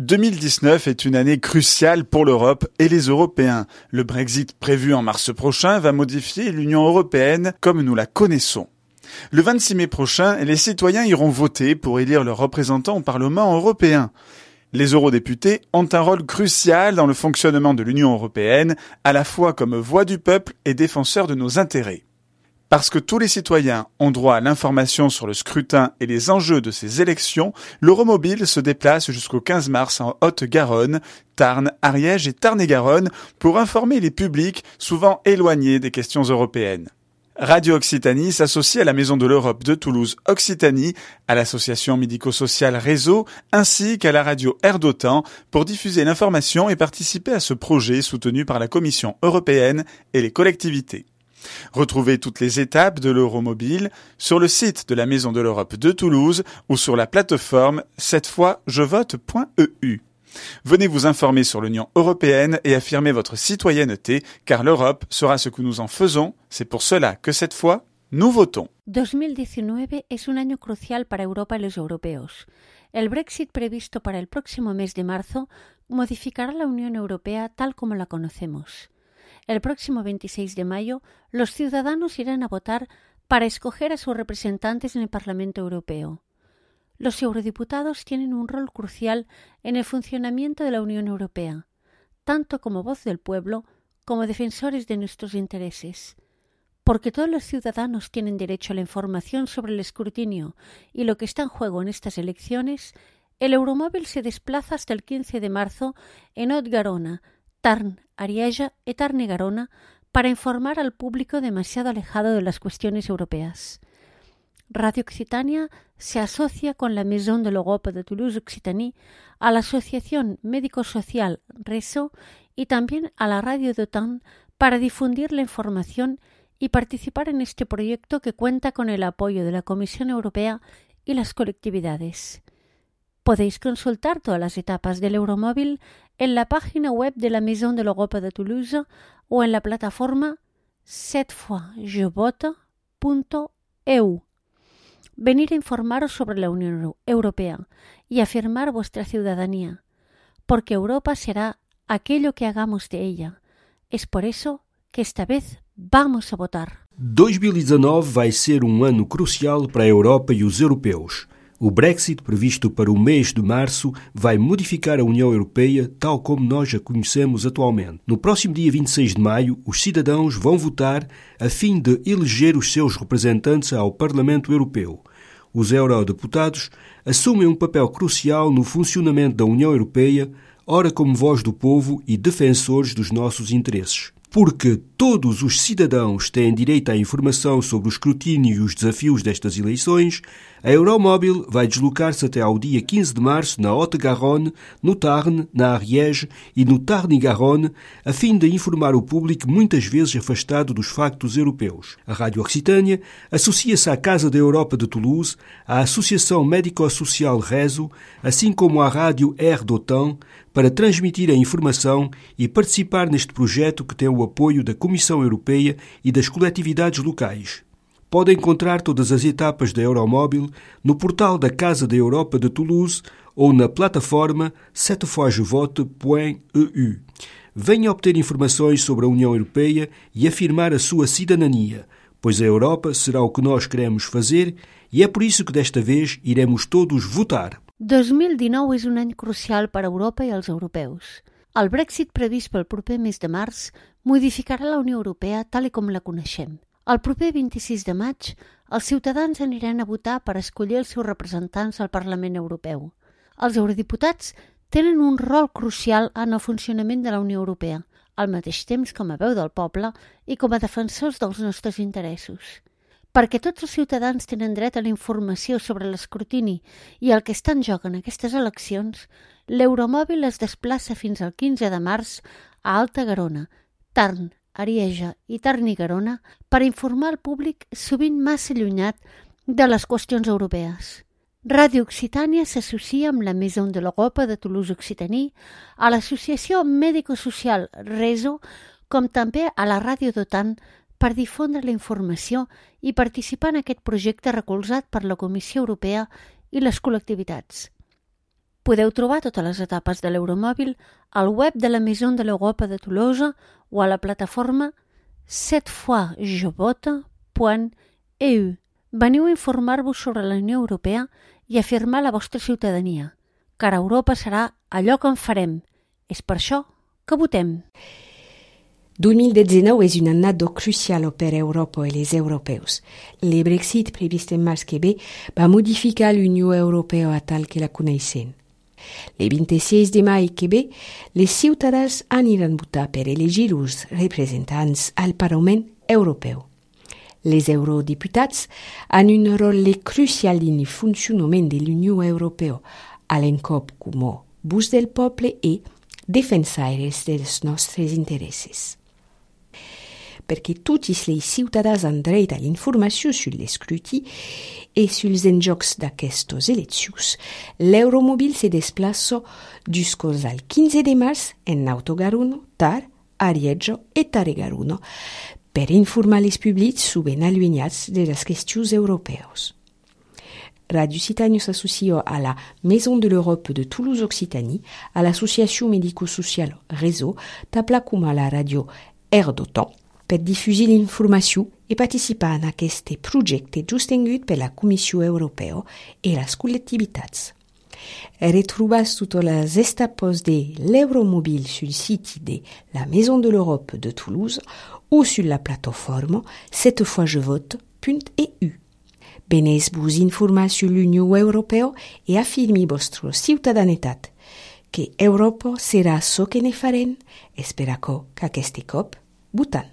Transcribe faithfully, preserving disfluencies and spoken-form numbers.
deux mille dix-neuf est une année cruciale pour l'Europe et les Européens. Le Brexit prévu en mars prochain va modifier l'Union européenne comme nous la connaissons. Le vingt-six mai prochain, les citoyens iront voter pour élire leurs représentants au Parlement européen. Les eurodéputés ont un rôle crucial dans le fonctionnement de l'Union européenne, à la fois comme voix du peuple et défenseurs de nos intérêts. Parce que tous les citoyens ont droit à l'information sur le scrutin et les enjeux de ces élections, l'Euromobile se déplace jusqu'au quinze mars en Haute-Garonne, Tarn, Ariège et Tarn-et-Garonne pour informer les publics souvent éloignés des questions européennes. Radio Occitanie s'associe à la Maison de l'Europe de Toulouse Occitanie, à l'association médico-sociale Réseau, ainsi qu'à la radio Air d'Otan pour diffuser l'information et participer à ce projet soutenu par la Commission européenne et les collectivités. Retrouvez toutes les étapes de l'Euromobile sur le site de la Maison de l'Europe de Toulouse ou sur la plateforme cette fois je vote point e u. Venez vous informer sur l'Union européenne et affirmer votre citoyenneté, car l'Europe sera ce que nous en faisons. C'est pour cela que cette fois, nous votons. dos mil diecinueve es un año crucial para Europa y los europeos. El Brexit previsto para el próximo mes de marzo modificará la Unión Europea tal como la conocemos. El próximo veintiséis de mayo, los ciudadanos irán a votar para escoger a sus representantes en el Parlamento Europeo. Los eurodiputados tienen un rol crucial en el funcionamiento de la Unión Europea, tanto como voz del pueblo como defensores de nuestros intereses. Porque todos los ciudadanos tienen derecho a la información sobre el escrutinio y lo que está en juego en estas elecciones, el Euromóvil se desplaza hasta el quince de marzo en Haute-Garonne, Tarn, Ariège y Tarn-et-Garonne para informar al público demasiado alejado de las cuestiones europeas. Radio Occitania se asocia con la Maison de l'Europe de Toulouse Occitanie, a la Asociación Médico-Social Réseau y también a la Radio d'Otan para difundir la información y participar en este proyecto que cuenta con el apoyo de la Comisión Europea y las colectividades. Podéis consultar todas las etapas del Euromóvil en la página web de la Maison de l'Europe de Toulouse o en la plataforma cette fois je vote punto e u. Venir a informaros sobre la Unión Europea y afirmar vuestra ciudadanía, porque Europa será aquello que hagamos de ella. Es por eso que esta vez vamos a votar. dois mil e dezanove vai ser um ano crucial para a Europa e os europeus. O Brexit, previsto para o mês de março, vai modificar a União Europeia tal como nós a conhecemos atualmente. No próximo dia vinte e seis de maio, os cidadãos vão votar a fim de eleger os seus representantes ao Parlamento Europeu. Os eurodeputados assumem um papel crucial no funcionamento da União Europeia, ora como voz do povo e defensores dos nossos interesses. Porque todos os cidadãos têm direito à informação sobre o escrutínio e os desafios destas eleições, a Euromóvil vai deslocar-se até ao dia quinze de março na Haute-Garonne, no Tarn, na Ariège e no Tarn-et-Garonne, a fim de informar o público muitas vezes afastado dos factos europeus. A Rádio Occitânia associa-se à Casa da Europa de Toulouse, à Associação Médico-Social Réseau, assim como à Rádio Air d'Otan, para transmitir a informação e participar neste projeto que tem o apoio da Comissão Europeia e das coletividades locais. Pode encontrar todas as etapas da Euromóvil no portal da Casa da Europa de Toulouse ou na plataforma cette fois je vote point e u. Venha obter informações sobre a União Europeia e afirmar a sua cidadania, pois a Europa será o que nós queremos fazer e é por isso que desta vez iremos todos votar. dos mil dinou és un any crucial per a Europa i els europeus. El Brexit previst pel proper mes de març modificarà la Unió Europea tal com la coneixem. El proper vint-i-sis de maig, els ciutadans aniran a votar per escollir els seus representants al Parlament Europeu. Els eurodiputats tenen un rol crucial en el funcionament de la Unió Europea, al mateix temps com a veu del poble i com a defensors dels nostres interessos. Perquè tots els ciutadans tenen dret a la informació sobre l'escrutini i el que està en joc en aquestes eleccions, l'Euromòbil es desplaça fins al quinze de març a Haute-Garonne, Tarn, Ariège i Tarn-et-Garonne per informar al públic sovint massa allunyat de les qüestions europees. Radio Occitània s'associa amb la Maison de l'Europe de Toulouse Occitanie, a l'Associació Médico-Social Réseau, com també a la Ràdio d'Otan, per difondre la informació i participar en aquest projecte recolzat per la Comissió Europea i les col·lectivitats. Podeu trobar totes les etapes de l'Euromòbil al web de la Maison de l'Europe de Toulouse o a la plataforma set fois je vote punt e u. Veniu a informar-vos sobre la Unió Europea i afirmar la vostra ciutadania, car Europa serà allò que en farem. És per això que votem. deux mille dix-neuf és un annat crucial per Europa i els europeus. El Brexit previst en març que ve va modificar l'Unió Europea tal que la coneixem. El vint-i-sis de maig que ve, les ciutadans aniran a votar per elegir els representants al Parlament Europeu. Les eurodiputats han un rol crucial en el funcionament de l'Unió Europea, a l'encop com a voix del poble i defensaires dels nostres interessos. Perquè tots els ciutadans han dret a l'informació sur l'escruti i suls enjocs d'aquestes eleccions, l'Euromòbil se desplaça jusqu'au quinze de març en Autogaruno, Tar, Arieggio i Taregaruno per informar les publics ben allunyats de les qüestions europees. Radio Occitanie s'associa a la Maison de l'Europe de Toulouse-Occitanie, a l'associació médico-social Réseau, tapla com a la radio Air d'Otan, per diffuser l'informació i participar en aquest projecte sostingut per la Comissió Europea i les col·lectivitats. Retrobas totes les etapes de l'Euromòbil sul site de la Maison de l'Europe de Toulouse o sur la plataforma set fois je vote punt e u. Venez-vos informar sur l'Unió Europea i afirmi vostra ciutadanitat, que Europa serà so que ne farem, espera que aquest cop votant.